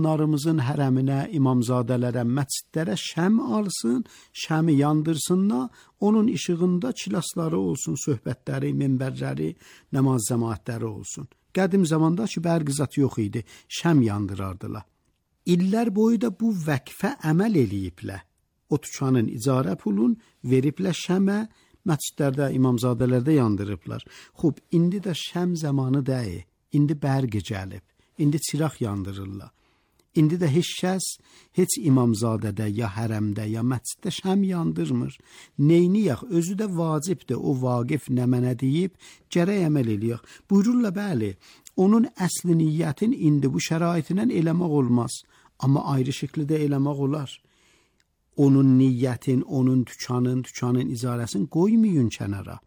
Narımızın hərəminə, imamzadələrə, məscidlərə şəm alsın, şəmi yandırsınlar, onun işığında çilasları olsun, söhbətləri, minbərləri, namaz cəmaətləri olsun. Qədim zamanda ki, bərq zat yox idi, şəm yandırardılar. İllər boyu da bu vəqfə əməl eləyiblər. O tükanın icarə pulun veriblər şəmə, məscidlərdə, imamzadələrdə yandırıblar. Xub, indi də şəm zamanı deyil, indi bərq gəlib, indi çıraq yandırırlar. İndi də heç kəs, heç imamzadədə, ya hərəmdə, ya məsciddə şəm yandırmır. Neyniyək, özü də vacibdir, o vaqif nə mənə deyib, gərək əməl eləyək. Buyururlar, bəli, onun əsli niyyətin indi bu şəraitindən eləmək olmaz, amma ayrı şəkildə eləmək olar. Onun niyyətin, onun tükanın icarəsini qoymayın kənara.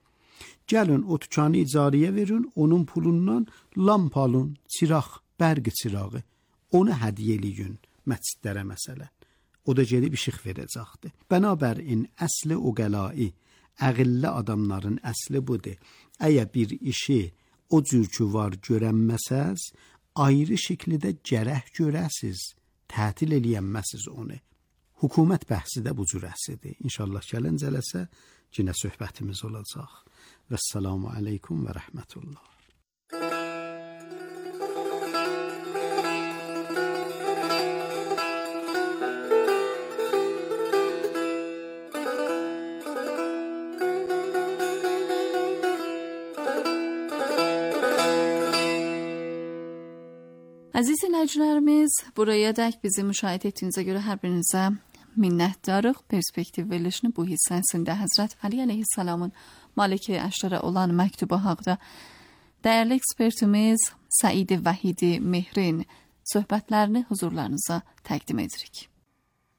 Gəlin, o tükanı icarəyə verin, onun pulundan lamp alın, çıraq, bərq çırağı. Onu hədiyyə eləyin məscidlərə məsələn. O da gedib işıq verəcəkdir. Bənabərin əsli o qəlai, əqilli adamların əsli budur. Əgər bir işi o cür ki var görənməsəz, ayrı şəkildə gərək görəsiz, tətil eləyənməsiz onu. Hökumət bəhsi də bu cür əsidir. İnşallah gələn cələsə yenə söhbətimiz olacaq. Vəssalamu aleykum və rəhmətullah. Əziz dinləyicilərimiz, buraya dək bizi müşahidə etdiyinizə görə hər birinizə minnətdarıq. Perspektiv verilişini bu hissəsində Həzrət Ali əleyhissalamın Malik-i Əşrərə olan məktubu haqqında dəyərli ekspertimiz Səid Vəhidi Mehrin söhbətlərini huzurlarınıza təqdim edirik.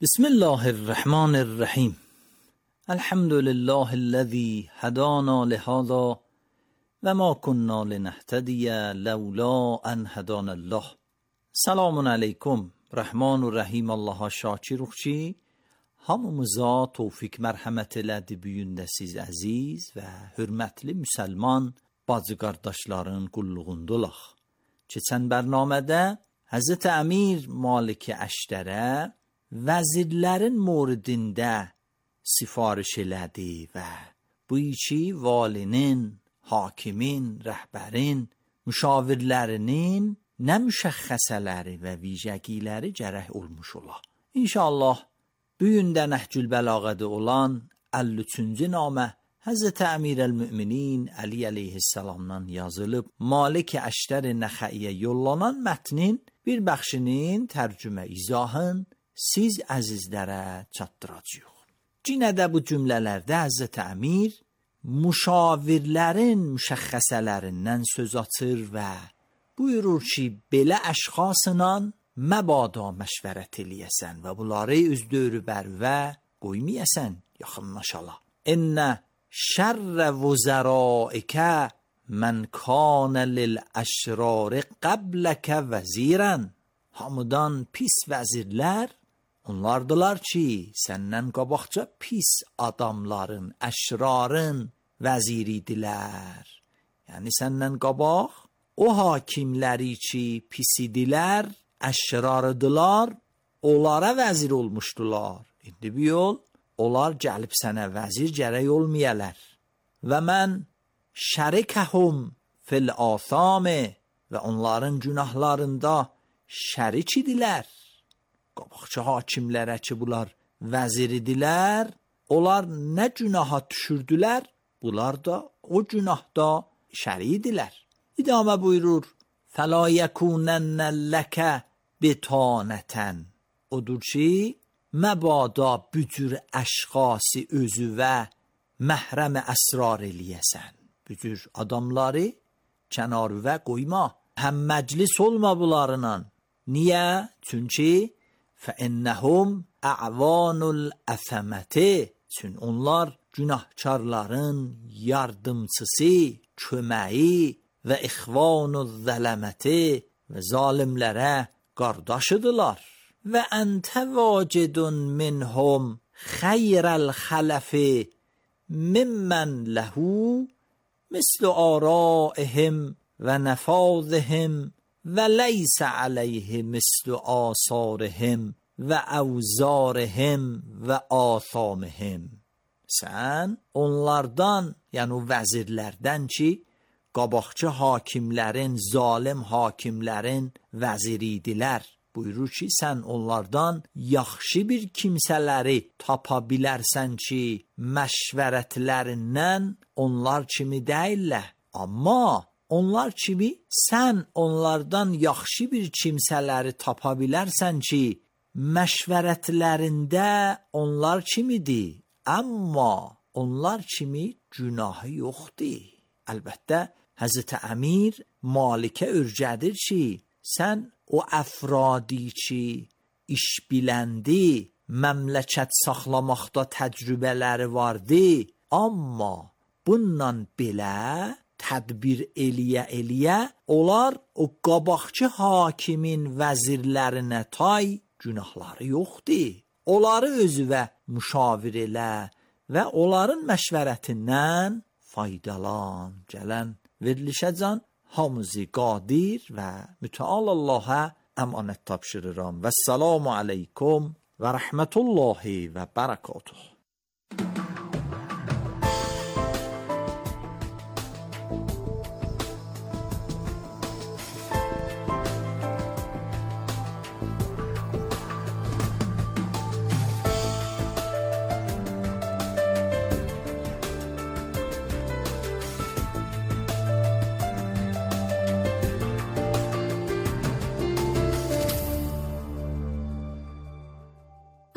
Bismillahirrahmanirrahim. Elhamdülillahillazi hadana lihada və ma kunna linehtediyə ləula ən hadanallah. Selamun aleyküm. Rəhman-ı Rəhim Allaha şakiruq ki, hamımıza tövfik mərhəmət elədi büyündə siz əziz və hürmətli müsəlman bacı qardaşların qulluğundulaq. Keçən bərnamədə Həzrət Əmir Malik-i Əşrərə vəzirlərin moridində sifariş elədi və bu iki valinin, hakimin, rəhbərin, müşavirlərinin nə müşəxxəsələri və vicəgiləri gərək olmuş ola. İnşallah bu gündə Nəhcül Bəlağədə olan 53-cü namə Həzrət Əmirəl-Müminin Əli əleyhissalamdan yazılıb Malik-i Əşrər Nəxəiyə yollanan mətnin bir bəxşinin tərcümə izahın siz əzizlərə çatdıracağıq. Yenə də bu cümlələrdə Həzrət Əmir müşavirlərin müşəxxəsələrindən söz açır və buyurur ki, belə əşxasla məbada məşvərət eləyəsən və bunları üz dörü bərvə qoymayəsən, yaxınlaşala. İnnə şərrə vüzəraikə mən kanə lil-əşrari qəbləkə vəzirən. Hamıdan pis vəzirlər onlardılar ki, səndən qabaqca pis adamların, əşrarın vəziridilər. Yəni səndən qabaq o hakimləri ki pis idilər, əşrarıdılar, onlara vəzir olmuşdular. İndi bir yol, onlar gəlib sənə vəzir gərək olmayalar. Və mən şərikəhum fil āthāmi və onların günahlarında şərik idilər. Qabaqçı hakimlərə ki bunlar vəzir idilər, onlar nə günaha düşürdülər, bunlar da o günahda şərik idilər. İdamə buyurur, فَلَا يَكُونَنَّ لَكَ بِتَانَةً. Odur ki, məbada bücür əşxası özü və məhrəm əsrar eləyəsən. Bücür adamları kənarüvə qoyma. Həm məclis olma bunlarla. Niyə? Çünki فَإِنَّهُمْ أَعْوَانُ الْأَثَمَةِ. Çünki onlar günahkarların yardımçısı, köməyi və ixvanu zələməti və zalimlərə qardaşıdırlar. Və əntə vacidun minhum xeyrəl xələfi mimmən ləhu mislu araihim və nəfazihim və leysə aleyhi mislu asarihim və əvzarihim və athamihim. Sən onlardan, yəni o vəzirlərdən ki, qabaqçı hakimlərin, zalim hakimlərin vəziri idilər. Buyurur ki, sən onlardan yaxşı bir kimsələri tapa bilərsən ki, məşvərətlərindən onlar kimi deyirlər. Amma onlar kimi sən onlardan yaxşı bir kimsələri tapa bilərsən ki, məşvərətlərində onlar kimidir. Amma onlar kimi günahı yoxdur. Əlbəttə, Həzrəti Əmir Malikə örgədir ki, sən o əfradi ki, iş biləndi, məmləkət saxlamaqda təcrübələri vardı, amma bununla belə tədbir eləyə, onlar o qabaqçı hakimin vəzirlərinə tay günahları yoxdur. Onları özüvə müşavir elə və onların məşvərətindən faydalan. Gələn verilişəcən hamısı qadir və mütəal Allah'a əmanət tapşırıram. Vəssalamu aleykum və rəhmətullahi və bərəkatuhu.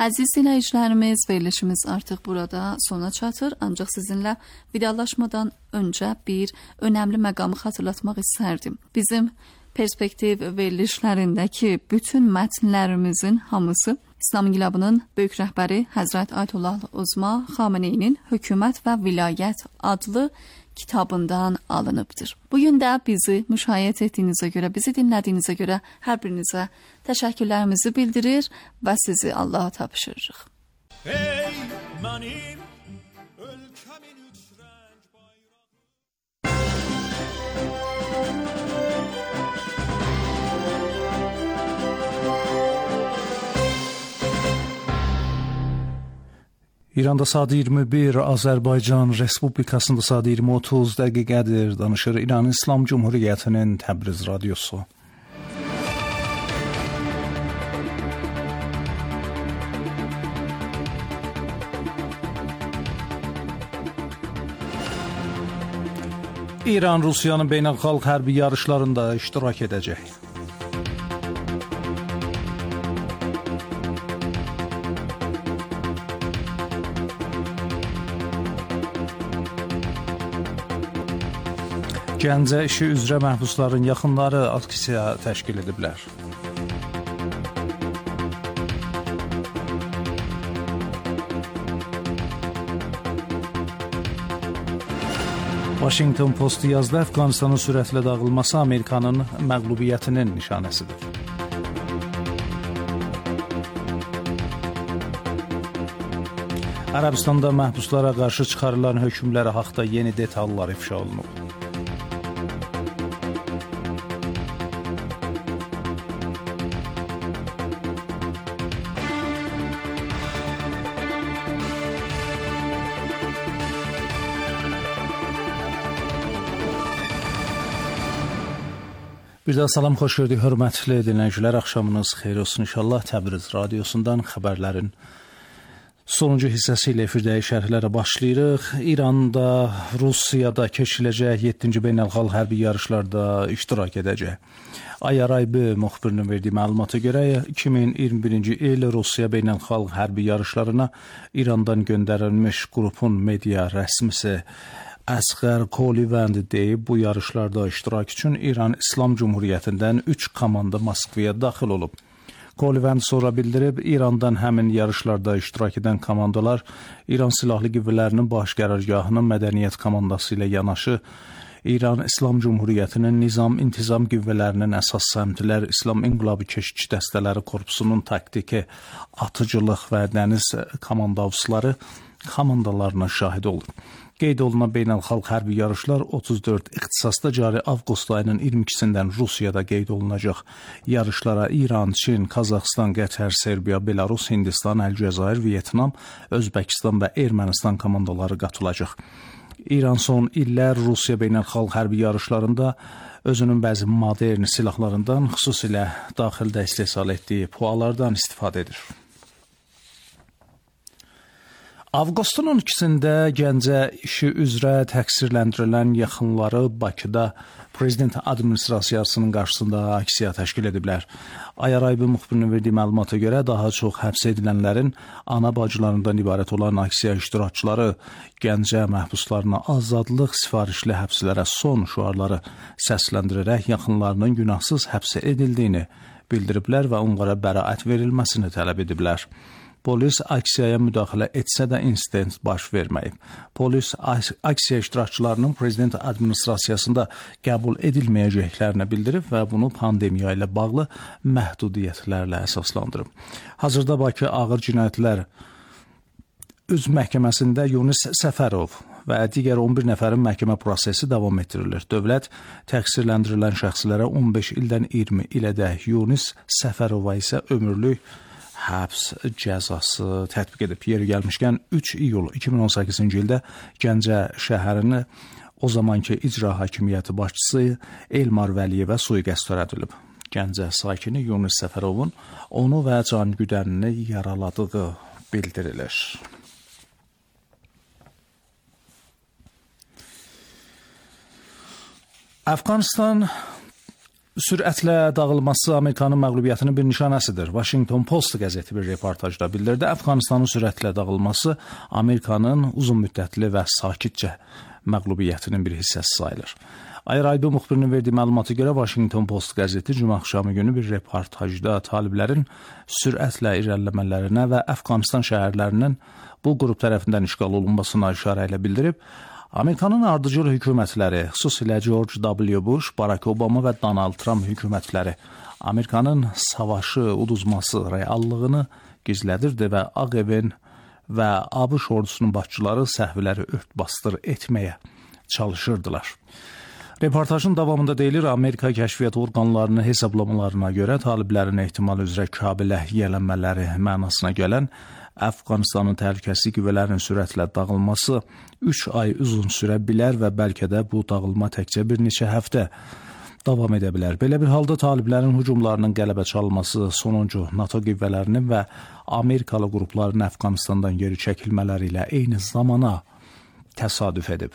Əziz dinləyicilərimiz, verilişimiz artıq burada sona çatır. Ancaq sizinlə vidalaşmadan öncə bir önəmli məqamı xatırlatmaq istərdim. Bizim perspektiv verilişlərindəki bütün mətnlərimizin hamısı İslam İnqilabının böyük rəhbəri Həzrət Ayətullah Uzma Xameneyinin Hökumət və Vilayət adlı kitabından alınıbdır. Bugün də bizi müşahidə etdiyinizə görə, bizi dinlədiyinizə görə hər birinizə təşəkkürlərimizi bildirir və sizi Allaha tapşırırıq. Ey mənim ölkəmin üç rəng İranda saat 21, Azərbaycan Respublikasında saat 20:30 dəqiqədir. Danışır İran İslam Cumhuriyyətinin Təbriz radiosu. İran Rusiyanın beynəlxalq hərbi yarışlarında iştirak edəcək. Gəncə işi üzrə məhbusların yaxınları aksiya təşkil ediblər. Washington Post yazdı, Əfqanistanın sürətlə dağılması Amerikanın məğlubiyyətinin nişanəsidir. Ərəbistanda məhbuslara qarşı çıxarılan hökmləri haqda yeni detallar ifşa olunub. Bir daha salam, xoş gördük, hörmətli dinləyicilər. Axşamınız xeyir olsun inşallah. Təbriz radiosundan xəbərlərin sonuncu hissəsi ilə efirdəyi şərhlərə başlayırıq. İranda, Rusiyada keçiriləcək 7-ci beynəlxalq hərbi yarışlarda iştirak edəcək. Ayaraybi müxbirinin verdiyi məlumata görə 2021-ci il Rusiya beynəlxalq hərbi yarışlarına İrandan göndərilmiş qrupun media rəsmisi Əsğər Kolivənd deyib, bu yarışlarda iştirak üçün İran İslam Cumhuriyyətindən 3 komanda Moskvaya daxil olub. Kolivənd sonra bildirib, İrandan həmin yarışlarda iştirak edən komandalar İran Silahlı Qüvvələrinin baş qərargahının mədəniyyət komandası ilə yanaşı, İran İslam Cumhuriyyətinin nizam-intizam qüvvələrinin əsas səmtilər İslam İnqilabı Keşikçi Dəstələri Korpusunun taktiki, atıcılıq və dəniz komandavçıları komandalarına şahid olur. Qeyd olunan beynəlxalq hərbi yarışlar 34 ixtisasda cari avqust ayının 22-sindən Rusiyada qeyd olunacaq. Yarışlara İran, Çin, Qazaxıstan, Qətər, Serbiya, Belarus, Hindistan, Əlcəzair, Vyetnam, Özbəkistan və Ermənistan komandaları qatılacaq. İran son illər Rusiya beynəlxalq hərbi yarışlarında özünün bəzi modern silahlarından, xüsusilə daxildə istehsal etdiyi PUA-lardan istifadə edir. Avqustun 12-sində Gəncə işi üzrə təqsirləndirilən yaxınları Bakıda Prezident administrasiyasının qarşısında aksiya təşkil ediblər. Ayarayıb müxbirinin verdiyi məlumata görə daha çox həbs edilənlərin ana bacılarından ibarət olan aksiya iştirakçıları Gəncə məhbuslarına azadlıq, sifarişli həbslərə son şüarları səsləndirərək yaxınlarının günahsız həbs edildiyini bildiriblər və onlara bəraət verilməsini tələb ediblər. Polis aksiyaya müdaxilə etsə də insident baş verməyib. Polis aksiya iştirakçılarının prezident administrasiyasında qəbul edilməyəcəklərini bildirib və bunu pandemiya ilə bağlı məhdudiyyətlərlə əsaslandırıb. Hazırda Bakı Ağır Cinayətlər Üzv Məhkəməsində Yunis Səfərov və digər 11 nəfərin məhkəmə prosesi davam etdirilir. Dövlət təqsirləndirilən şəxslərə 15 ildən 20 ilədək, Yunis Səfərova isə ömürlük həbs cəzası tətbiq edib. Yeri gəlmişkən 3 iyul 2018-ci ildə Gəncə şəhərini o zamanki icra hakimiyyəti başçısı Elmar Vəliyevə sui-qəsd törədilib. Gəncə sakini Yunis Səfərovun onu və can güdənini yaraladığı bildirilir. Əfqanistan sürətlə dağılması Amerikanın məğlubiyyətinin bir nişanəsidir. Washington Post qəzeti bir reportajda bildirdi. Əfqanistanın sürətlə dağılması Amerikanın uzun müddətli və sakitcə məğlubiyyətinin bir hissəsi sayılır. Ayraybı müxbirinin verdiyi məlumata görə Washington Post qəzeti cümə axşamı günü bir reportajda taliblərin sürətlə irəliləmələrinə və Əfqanistan şəhərlərinin bu qrup tərəfindən işğal olunmasına işarə ilə bildirib, Amerikanın ardıcıl hökumətləri, xüsusilə George W. Bush, Barack Obama və Donald Trump hökumətləri Amerikanın savaşı uduzması reallığını gizlədirdi və Ağ Evin və ABŞ ordusunun başçıları səhvləri ört-basdır etməyə çalışırdılar. Reportajın davamında deyilir, Amerika kəşfiyyat orqanlarının hesablamalarına görə taliblərin ehtimal üzrə Kabilə yiyələnmələri mənasına gələn Əfqanistanın təhlükəsizlik qüvvələrinin sürətlə dağılması 3 ay uzun sürə bilər və bəlkə də bu dağılma təkcə bir neçə həftə davam edə bilər. Belə bir halda taliblərin hücumlarının qələbə çalması sonuncu NATO qüvvələrinin və Amerikalı qrupların Əfqanistandan geri çəkilmələri ilə eyni zamana təsadüf edib.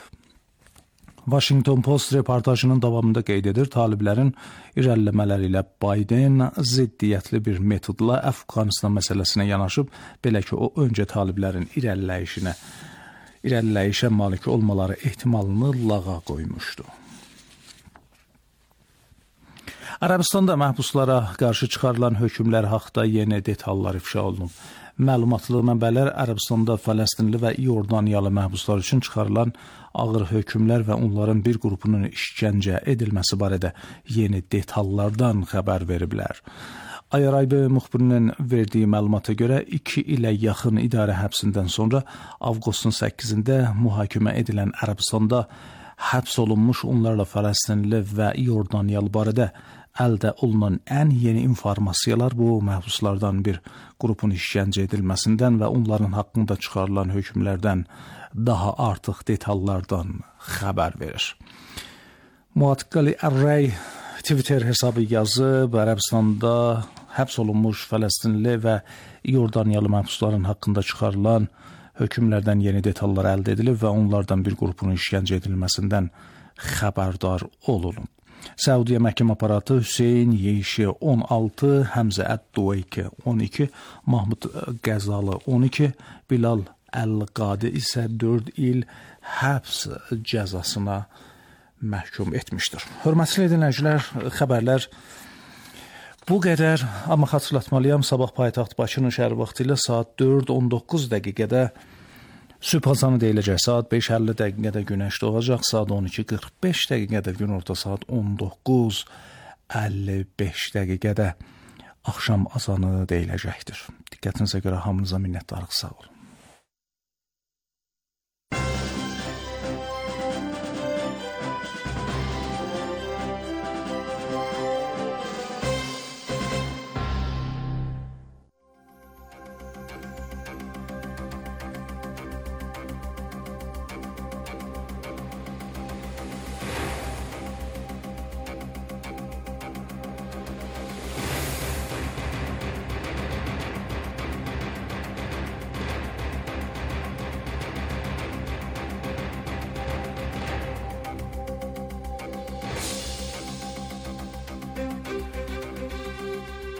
Washington Post reportajının davamında qeyd edir, taliblərin irəliləmələri ilə Biden ziddiyyətli bir metodla Əfqanistan məsələsinə yanaşıb, belə ki, o öncə taliblərin irəliləyişə malik olmaları ehtimalını lağa qoymuşdu. Ərəbistanda məhbuslara qarşı çıxarılan hökmlər haqda yeni detallar ifşa olunub. Məlumatlı mənbələr Ərəbistanda Fələstinli və İordaniyalı məhbuslar üçün çıxarılan ağır hökmlər və onların bir qrupunun işgəncə edilməsi barədə yeni detallardan xəbər veriblər. Ayaraybı müxbirinin verdiyi məlumata görə 2 ilə yaxın idarə həbsindən sonra avqustun 8-də mühakimə edilən Ərəbistanda həbs olunmuş onlarla Fələstinli və İordaniyalı barədə əldə olunan ən yeni informasiyalar bu məhbuslardan bir qrupun işgəncə edilməsindən və onların haqqında çıxarılan hökmlərdən daha artıq detallardan xəbər verir. Muatqali Array Twitter hesabı yazıb, Ərəbistanda həbs olunmuş Fələstinli və İordaniyalı məhbusların haqqında çıxarılan hökmlərdən yeni detallar əldə edilib və onlardan bir qrupun işgəncə edilməsindən xəbərdar olunub. Səudiyyə məhkəmə aparatı Hüseyn Yeyşi 16, Həmzə Əd-Duveyki 12, Mahmud Qəzalı 12, Bilal Əl-Qadi isə 4 il həbs cəzasına məhkum etmişdir. Hörmətli dinləyicilər, xəbərlər bu qədər, amma xatırlatmalıyam, sabah paytaxt Bakının şəhər vaxtı ilə saat 4:19 dəqiqədə sübh azanı deyiləcək. Saat 5:50 dəqiqədə günəş doğacaq, saat 12:45 dəqiqədə günorta, saat 19:55 dəqiqədə axşam azanı deyiləcəkdir. Diqqətinizə görə hamınıza minnətdarıq, sağ olun.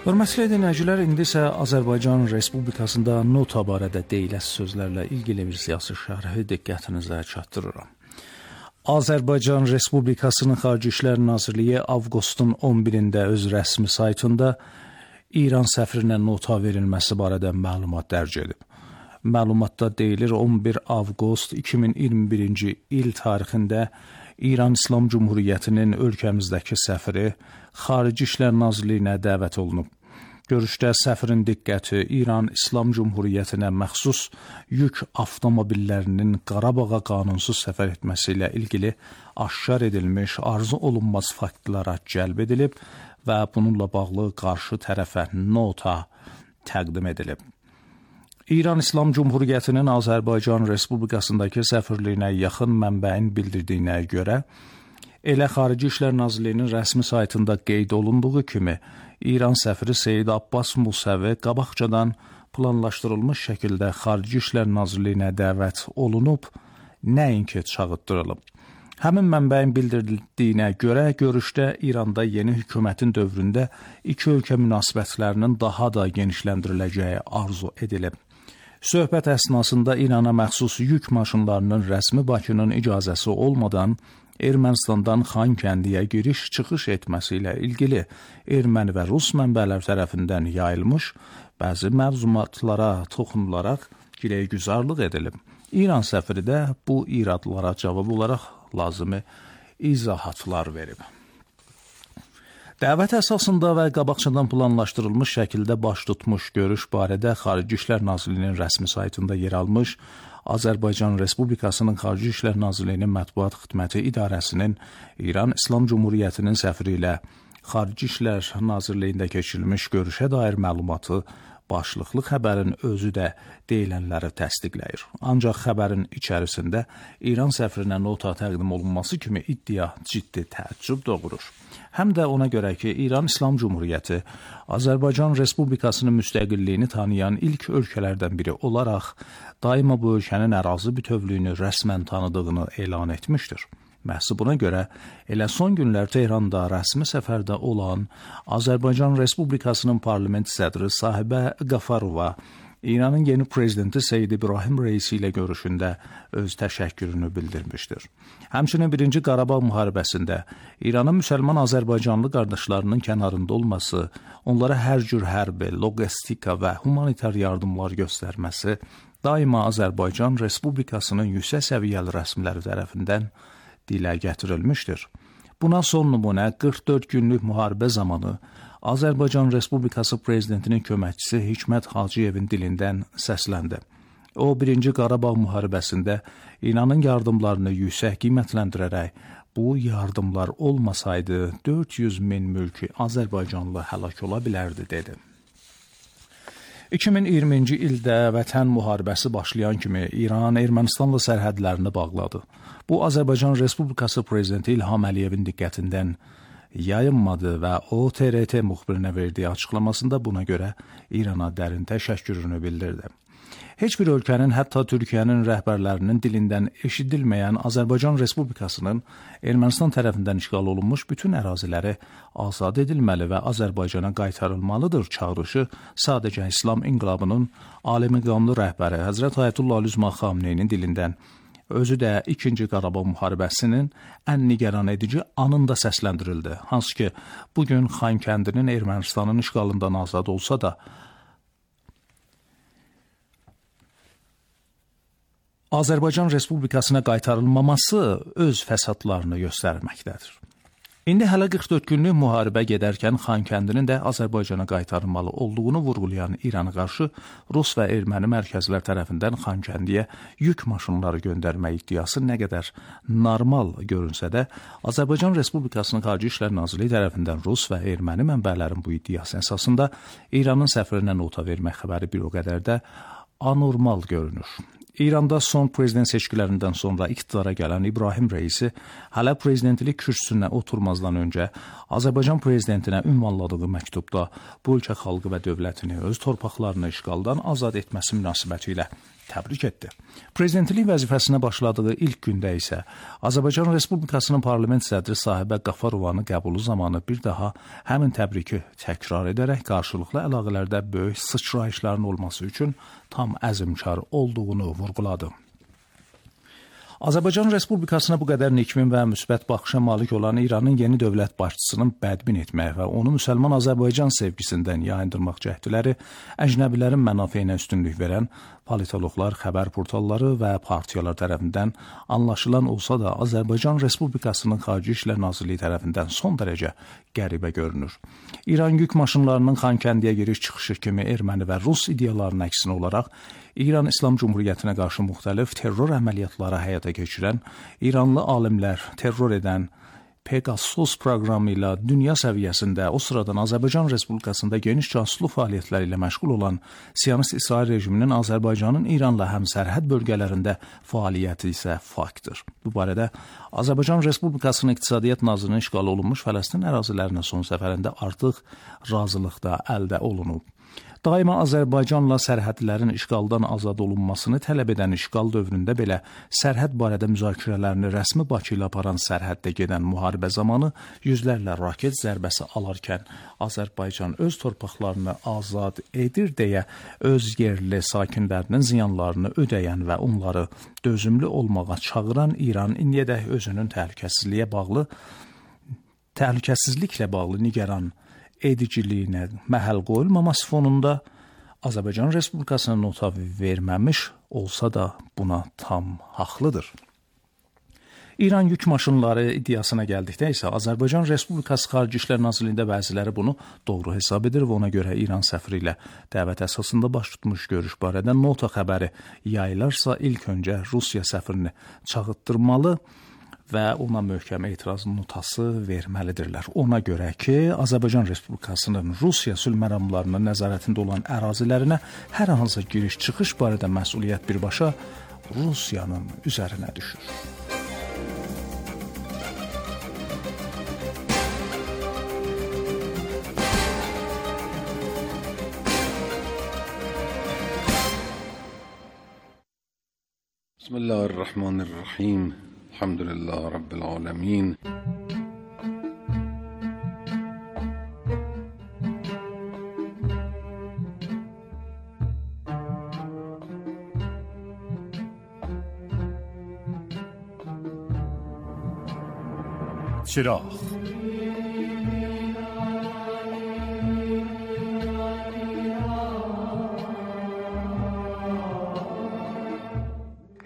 Hörmətli dinləyicilər, indi isə Azərbaycan Respublikasında nota barədə deyiləsi sözlərlə ilgili bir siyasi şərhi diqqətinizə çatdırıram. Azərbaycan Respublikasının Xarici İşlər Nazirliyi avqustun 11-də öz rəsmi saytında İran səfirinə nota verilməsi barədə məlumat dərc edib. Məlumatda deyilir 11 avqust 2021-ci il tarixində İran İslam Cumhuriyyətinin ölkəmizdəki səfiri Xarici İşlər Nazirliyinə dəvət olunub. Görüşdə səfirin diqqəti İran İslam Cumhuriyyətinə məxsus yük avtomobillərinin Qarabağa qanunsuz səfər etməsi ilə ilgili aşkar edilmiş arzu olunmaz faktlara cəlb edilib və bununla bağlı qarşı tərəfə nota təqdim edilib. İran İslam Cumhuriyyətinin Azərbaycan Respublikasındakı səfirliyinə yaxın mənbəyin bildirdiyinə görə, elə Xarici İşlər Nazirliyinin rəsmi saytında qeyd olunduğu kimi, İran səfiri Seyid Abbas Musəvi qabaqcadan planlaşdırılmış şəkildə Xarici İşlər Nazirliyinə dəvət olunub, nəinki çağıtdırılıb. Həmin mənbəyin bildirdiyinə görə görüşdə İranda yeni hökumətin dövründə iki ölkə münasibətlərinin daha da genişləndiriləcəyi arzu edilib. Söhbət əsnasında İrana məxsus yük maşınlarının rəsmi Bakının icazəsi olmadan Ermənistandan Xankəndiyə giriş-çıxış etməsi ilə ilgili erməni və rus mənbələr tərəfindən yayılmış bəzi məlumatlara toxunularaq giləygüzarlıq edilib. İran səfiri də bu iradlara cavab olaraq lazımi izahatlar verib. Dəvət əsasında və qabaqcadan planlaşdırılmış şəkildə baş tutmuş görüş barədə Xarici İşlər Nazirliyinin rəsmi saytında yer almış Azərbaycan Respublikasının Xarici İşlər Nazirliyinin Mətbuat Xidməti İdarəsinin İran İslam Cumhuriyyətinin səfiri ilə Xarici İşlər Nazirliyində keçirilmiş görüşə dair məlumatı başlıqlı xəbərin özü də deyilənləri təsdiqləyir. Ancaq xəbərin içərisində İran səfirinə nota təqdim olunması kimi iddia ciddi təəccüb doğurur. Həm də ona görə ki, İran İslam Cumhuriyyəti Azərbaycan Respublikasının müstəqilliyini tanıyan ilk ölkələrdən biri olaraq daima bu ölkənin ərazi bütövlüyünü rəsmən tanıdığını elan etmişdir. Məhz buna görə elə son günlər Tehranda rəsmi səfərdə olan Azərbaycan Respublikasının parlament sədri Sahibə Qafarova İranın yeni prezidenti Seyid İbrahim Reisi ilə görüşündə öz təşəkkürünü bildirmişdir. Həmçinin 1-ci Qarabağ müharibəsində İranın müsəlman Azərbaycanlı qardaşlarının kənarında olması, onlara hər cür hərbi, logistika və humanitar yardımlar göstərməsi daima Azərbaycan Respublikasının yüksək səviyyəli rəsmiləri tərəfindən dilə gətirilmişdir. Buna son nümunə 44 günlük müharibə zamanı Azərbaycan Respublikası prezidentinin köməkçisi Hikmət Hacıyevin dilindən səsləndi. O, 1-ci Qarabağ müharibəsində İranın yardımlarını yüksək qiymətləndirərək, bu yardımlar olmasaydı 400 min mülki Azərbaycanlı həlak ola bilərdi, dedi. 2020-ci ildə Vətən müharibəsi başlayan kimi İran Ermənistanla sərhədlərini bağladı. Bu, Azərbaycan Respublikası prezidenti İlham Əliyevin diqqətindən yayınmadı və o TRT müxbirinə verdiyi açıqlamasında buna görə İrana dərin təşəkkürünü bildirdi. Heç bir ölkənin, hətta Türkiyənin rəhbərlərinin dilindən eşidilməyən Azərbaycan Respublikasının Ermənistan tərəfindən işğal olunmuş bütün əraziləri azad edilməli və Azərbaycana qaytarılmalıdır çağırışı sadəcə İslam inqilabının aliməqamlı rəhbəri Həzrət Ayətullah Əlüzma Xamneyinin dilindən, özü də 2-ci Qarabağ müharibəsinin ən nigaran edici anında səsləndirildi. Hansı ki, bugün Xankəndinin Ermənistanın işğalından azad olsa da, Azərbaycan Respublikasına qaytarılmaması öz fəsadlarını göstərməkdədir. İndi hələ 44 günlük müharibə gedərkən Xankəndinin də Azərbaycana qaytarılmalı olduğunu vurğulayan İrana qarşı Rus və erməni mərkəzlər tərəfindən Xankəndiyə yük maşınları göndərmə iddiası nə qədər normal görünsə də, Azərbaycan Respublikasının Xarici İşlər Nazirliyi tərəfindən Rus və erməni mənbələrin bu iddiası əsasında İranın səfirinə nota vermək xəbəri bir o qədər də anormal görünür. İranda son prezident seçkilərindən sonra iqtidara gələn İbrahim Reisi hələ prezidentlik kürsüsünə oturmazdan öncə Azərbaycan prezidentinə ünvanladığı məktubda bu ölkə xalqı və dövlətini öz torpaqlarını işğaldan azad etməsi münasibəti ilə təbrik etdi. Prezidentlik vəzifəsinə başladığı ilk gündə isə Azərbaycan Respublikasının parlament sədri Sahibə Qafarovanı qəbulu zamanı bir daha həmin təbriki təkrar edərək qarşılıqlı əlaqələrdə böyük sıçrayışların olması üçün tam əzmkar olduğunu vurğuladı. Azərbaycan Respublikasına bu qədər nikmin və müsbət baxışa malik olan İranın yeni dövlət başçısının bədbin etmək və onu müsəlman Azərbaycan sevgisindən yayındırmaq cəhdləri əcnəbilərin mənafeyinə üstünlük verən politoloqlar, xəbər portalları və partiyalar tərəfindən anlaşılan olsa da Azərbaycan Respublikasının Xarici İşlər Nazirliyi tərəfindən son dərəcə qəribə görünür. İran yük maşınlarının Xankəndiyə giriş-çıxışı kimi erməni və rus ideyalarının əksinə olaraq İran İslam Cumhuriyyətinə qarşı müxtəlif terror əməliyyatları həyata keçirən, İranlı alimlər terror edən Pegasus proqramı ilə dünya səviyyəsində o sıradan Azərbaycan Respublikasında geniş casusluq fəaliyyətləri ilə məşğul olan Siyonist İsrail rejiminin Azərbaycanın İranla həmsərhəd bölgələrində fəaliyyəti isə faktdır. Bu barədə Azərbaycan Respublikasının İqtisadiyyat Nazirinin işğal olunmuş Fələstin ərazilərinə son səfərində artıq razılıq da əldə olunub. Daima Azərbaycanla sərhədlərin işğaldan azad olunmasını tələb edən işğal dövründə belə sərhəd barədə müzakirələrini rəsmi Bakı ilə aparan sərhəddə gedən müharibə zamanı yüzlərlə raket zərbəsi alarkən Azərbaycan öz torpaqlarını azad edir deyə öz yerli sakinlərinin ziyanlarını ödəyən və onları dözümlü olmağa çağıran İran indiyədək özünün təhlükəsizliklə bağlı nigaran ediciliyinə məhəl qoyulmaması fonunda Azərbaycan Respublikasına nota verməmiş olsa da buna tam haqlıdır. İran yük maşınları iddiasına gəldikdə isə Azərbaycan Respublikası Xarici İşlər Nazirliyində bəziləri bunu doğru hesab edir və ona görə İran səfiri ilə dəvət əsasında baş tutmuş görüş barədə nota xəbəri yayılarsa ilk öncə Rusiya səfirini çağıtdırmalı və ona möhkəm etiraz notası verməlidirlər. Ona görə ki, Azərbaycan Respublikasının Rusiya sülh məramlarının nəzarətində olan ərazilərinə hər hansı giriş-çıxış barədə məsuliyyət birbaşa Rusiyanın üzərinə düşür. Bismillahirrahmanirrahim. Elhamdülillah Rabbil alemin. چراغ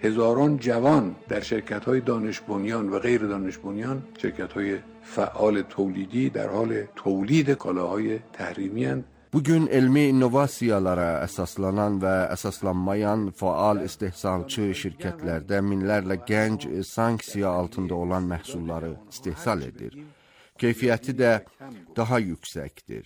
هزاران جوان در شرکت‌های دانش بنیان و غیر دانش بنیان، شرکت‌های فعال تولیدی در حال تولید کالاهای تحریمی اند. Bugün elmi innovasiyalara əsaslanan və əsaslanmayan faal istehsalçı şirkətlərdə minlərlə gənc sanksiya altında olan məhsulları istehsal edir. Keyfiyyəti də daha yüksəkdir.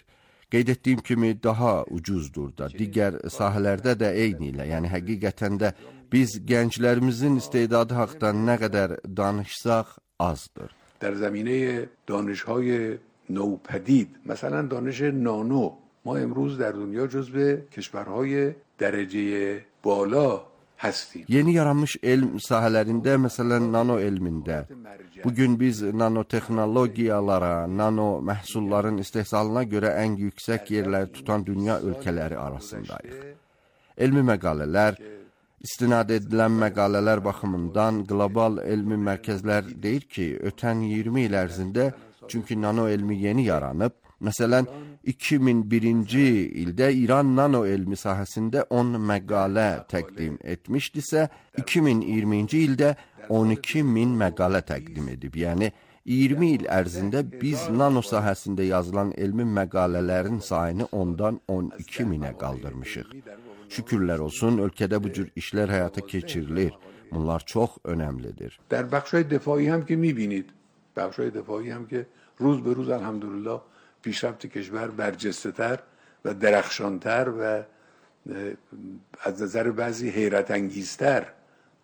Qeyd etdiyim kimi daha ucuzdur da. Digər sahələrdə də eyni ilə, yəni həqiqətən də biz gənclərimizin istedadı haqqında nə qədər danışsaq azdır. در زمینه دانش‌های نوپدید، مثلا دانش نانو، ما امروز در دنیا جزو کشورهای درجه بالا هستیم. Yeni yaranmış elm sahələrində, məsələn, nano elmində, bugün biz nanotexnologiyalara, nano məhsulların istehsalına görə ən yüksək yerləri tutan dünya ölkələri arasındayıq. Elmi məqalələr, istinad edilən məqalələr baxımından qlobal elmi mərkəzlər deyir ki, ötən 20 il ərzində, çünki nano elmi yeni yaranıb, məsələn, 2001-ci ildə İran nano elmi sahəsində 10 məqalə təqdim etmişdisə, 2020-ci ildə 12.000 məqalə təqdim edib. Yəni, 20 il ərzində biz nano sahəsində yazılan elmi məqalələrin sayını 10-dan 12.000-ə qaldırmışıq. Şükürlər olsun, ölkədə bu cür işlər həyata keçirilir. Bunlar çox önəmlidir. در بخش‌های دفاعی هم که می‌بینید، بخش‌های دفاعی هم که روز به روز الحمدلله پیشرفت کشور برجسته‌تر و درخشان‌تر و از نظر بعضی حیرت انگیزتر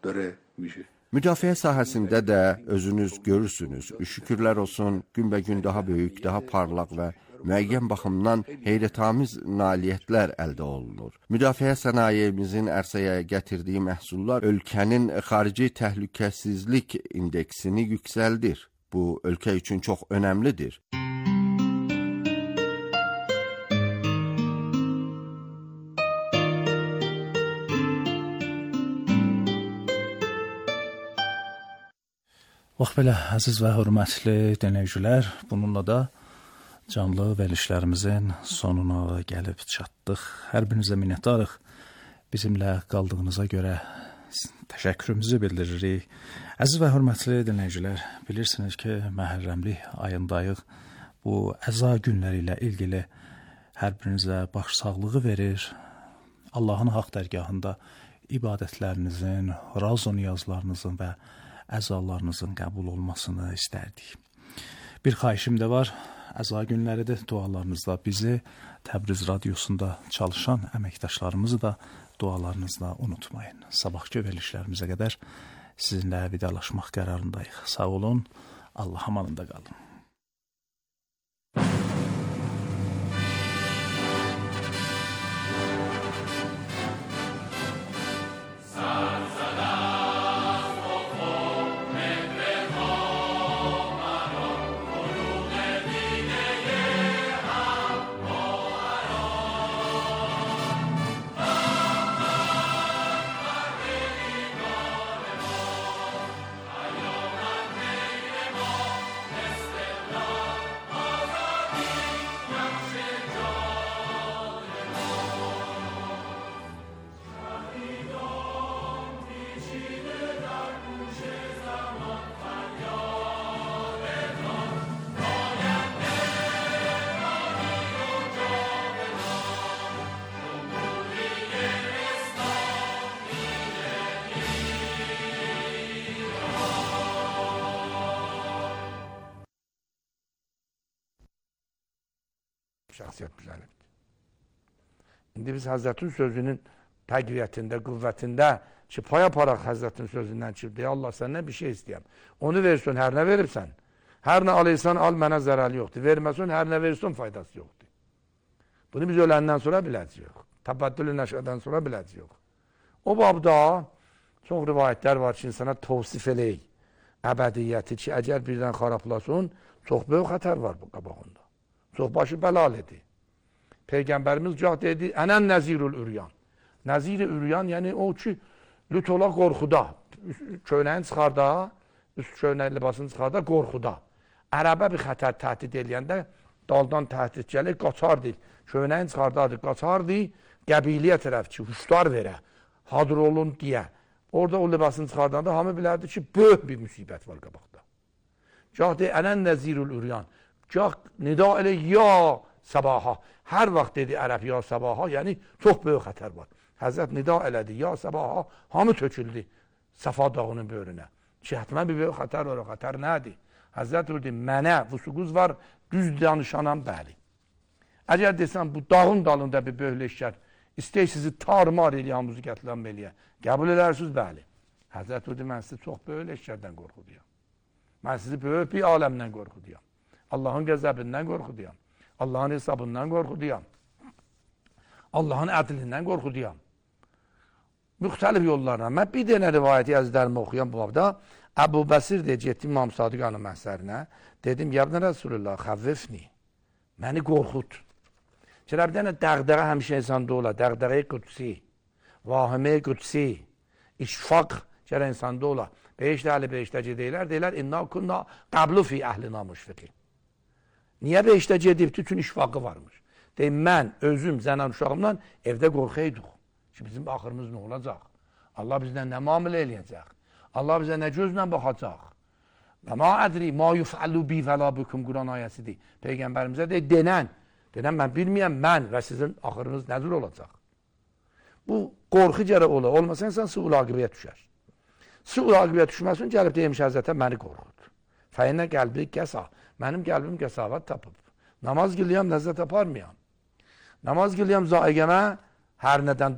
داره میشه. Müdafiə sahəsində də özünüz görürsünüz. Şükürlər olsun, günbəgün daha böyük, daha parlaq və müəyyən baxımdan heyrətamiz nailiyyətlər əldə olunur. Müdafiə sənayemizin ərsəyə gətirdiyi məhsullar ölkənin xarici təhlükəsizlik indeksini yüksəldir. Bu, ölkə üçün çox önəmlidir. Bax belə, əziz və hörmətli dinləyicilər, bununla da canlı verilişlərimizin sonuna gəlib çatdıq. Hər birinizə minnətdarıq. Bizimlə qaldığınıza görə təşəkkürümüzü bildiririk. Əziz və hörmətli dinləyicilər, bilirsiniz ki, Məhərrəmlik ayındayıq. Bu əza günləri ilə ilgili hər birinizə başsağlığı verir. Allahın haqq dərgahında ibadətlərinizin, raz-o niyazlarınızın və əzalarınızın qəbul olmasını istərdik. Bir xahişim də var, əza günləridir, dualarınızda bizi Təbriz Radiosunda çalışan əməkdaşlarımızı da dualarınızla unutmayın. Sabahki verilişlərimizə qədər sizinlə vidalaşmaq qərarındayıq. Sağ olun, Allah amanında qalın. Şəxsiyyət düzəlibdir. İndi biz Həzrətin sözünün təqviyyətində, qüvvətində ki, paya paraq Həzrətin sözündən çıxıb, Allah səndən bir şey istəyəm. Onu versin, hər nə veribsən. Hər nə alıysan, al, mənə zərəli yoxdur. Verməsin, hər nə versin, faydası yoxdur. Bunu biz öləndən sonra biləcəyik. Təbəddülü nəşədən sonra biləcəyik. O babda çox rivayətlər var ki, insana tavsif eləyik. Əbədiyyəti ki, əgər birdən xarablasın, çox böyük xətər var bu qabağında. Çox başı bəlalidir. Peyğəmbərimiz cah dedi, ənən nəzirul üryan. Nəzir-i üryan, yəni o ki, lüt ola qorxuda. Köynəyin çıxarda, üst köynəyin libasını çıxarda, qorxuda. Ərəbə bir xətər təhdid eləyəndə, daldan təhdid gəlir, qaçar deyil. Köynəyin çıxardadır, qaçar deyil, qəbiliyə tərəf ki, huşlar verə, hadır olun deyə. Orada o libasını çıxardanda hamı bilərdi ki, böyük bir müsibət var qabaqda. Cah deyil, ənən nəzirul üryan. Gah nida elə ya sabaha. Hər vaxt dedi ərəb ya sabaha, yəni çox böyük xətər var. Həzrət nida elədi, ya sabaha, hamı töküldü Səfa dağının böyrünə. Ki, hətmən bir böyük xətər var, o xətər nədir? Həzrət dedi, mənə vüsuquz var, düz danışanam, bəli. Əgər desən, bu dağın dalında bir böyük leşkər, istək sizi tarmar eləyəmuzu gətilən eləyə, qəbul edərsiniz, bəli. Həzrət dedi, mən sizi çox böyük leşkərdən qorxuduyam. Mən sizi böyük bir aləmdən qorxuduyam. Allahın qəzəbindən qorxuduyam. Allahın hesabından qorxuduyam. Allahın ədlindən qorxuduyam. Müxtəlif yollarla. Mən bir dənə rivayəti əzlərimi oxuyan bu babda, Əbu Bəsir deyə getdim İmam Sadiqanın məhsərinə. Dedim, yəbnə Rasulullah, xəvvifni. Məni qorxud. Çərə bir dənə dəğdəğə həmişə insanda ola. Dəğdəğə-i qudsi, vahimə-i qudsi, işfaq çərə insanda ola. Beşdə əli beşdə gedəylər, deyilər, inna kunna qablu fi əhlina müşfiqin. Niyə beşdə gedib? Bütün işfaqı varmış. Deyim, mən, özüm, zənən uşağımdan evdə qorxaydıq. Ki, bizim axırımız nə olacaq? Allah bizdən nə müamilə eləyəcək? Allah bizə nə gözlə baxacaq? Və ma ədri, ma yufəllu bi vəlabukum Quran ayəsidir. Peyğəmbərimizə deyir, denən, mən bilməyəm, mən və sizin axırınız nəzir olacaq? Bu, qorxu gərək ola. Olmasa insan su ulaqibəyə düşər. Su ulaqibəyə düşməsin, gəlib deymiş Həzrətə, məni qorxud. Fəyinə qəlbi qəsa. Mənim qəlbim qəsavət tapıb. Namaz qılıyam, ləzzət aparmayam. Namaz qılıyam, zaiqəmə hər nədən